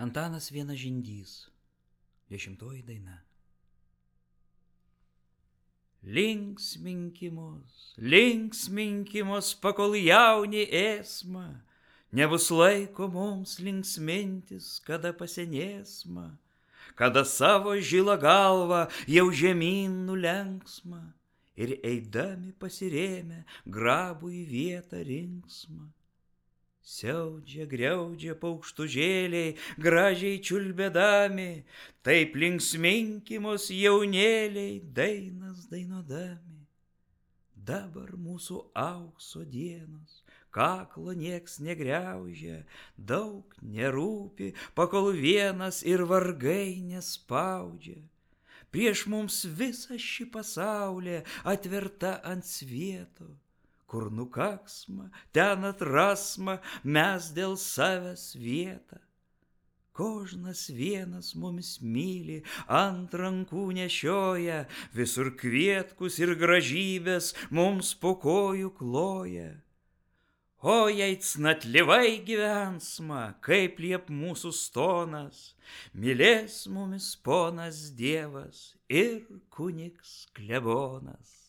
Antanas Vienažindys. 10 daina. Linksminkimos, pakol jauni esma, nebus laiko mums linksmintis, kada pasenėsma, kada savo žilą galvą jau žemyn nulenksma ir eidami pasirėmę grabų į vietą rinksmą. Siaudžia, griaudžia paukštužėliai, gražiai čiulbėdami, taip linksminkimos jaunėliai, dainas dainuodami. Dabar mūsų aukso dienos, kaklo nieks negriaužia, daug nerūpi, pakol vienas ir vargai nespaudžia. Prieš mums visa ši pasaulė atverta ant svieto, kur nukaksma, ten atrasma mes dėl savęs vietą. Kožnas vienas mumis myli, ant rankų nešioja, visur kvietkus ir gražybės mums po kojų kloja. O jei cnatlievai gyvensma, kaip liep mūsų stonas, mylės mumis ponas Dievas ir kunigs klebonas.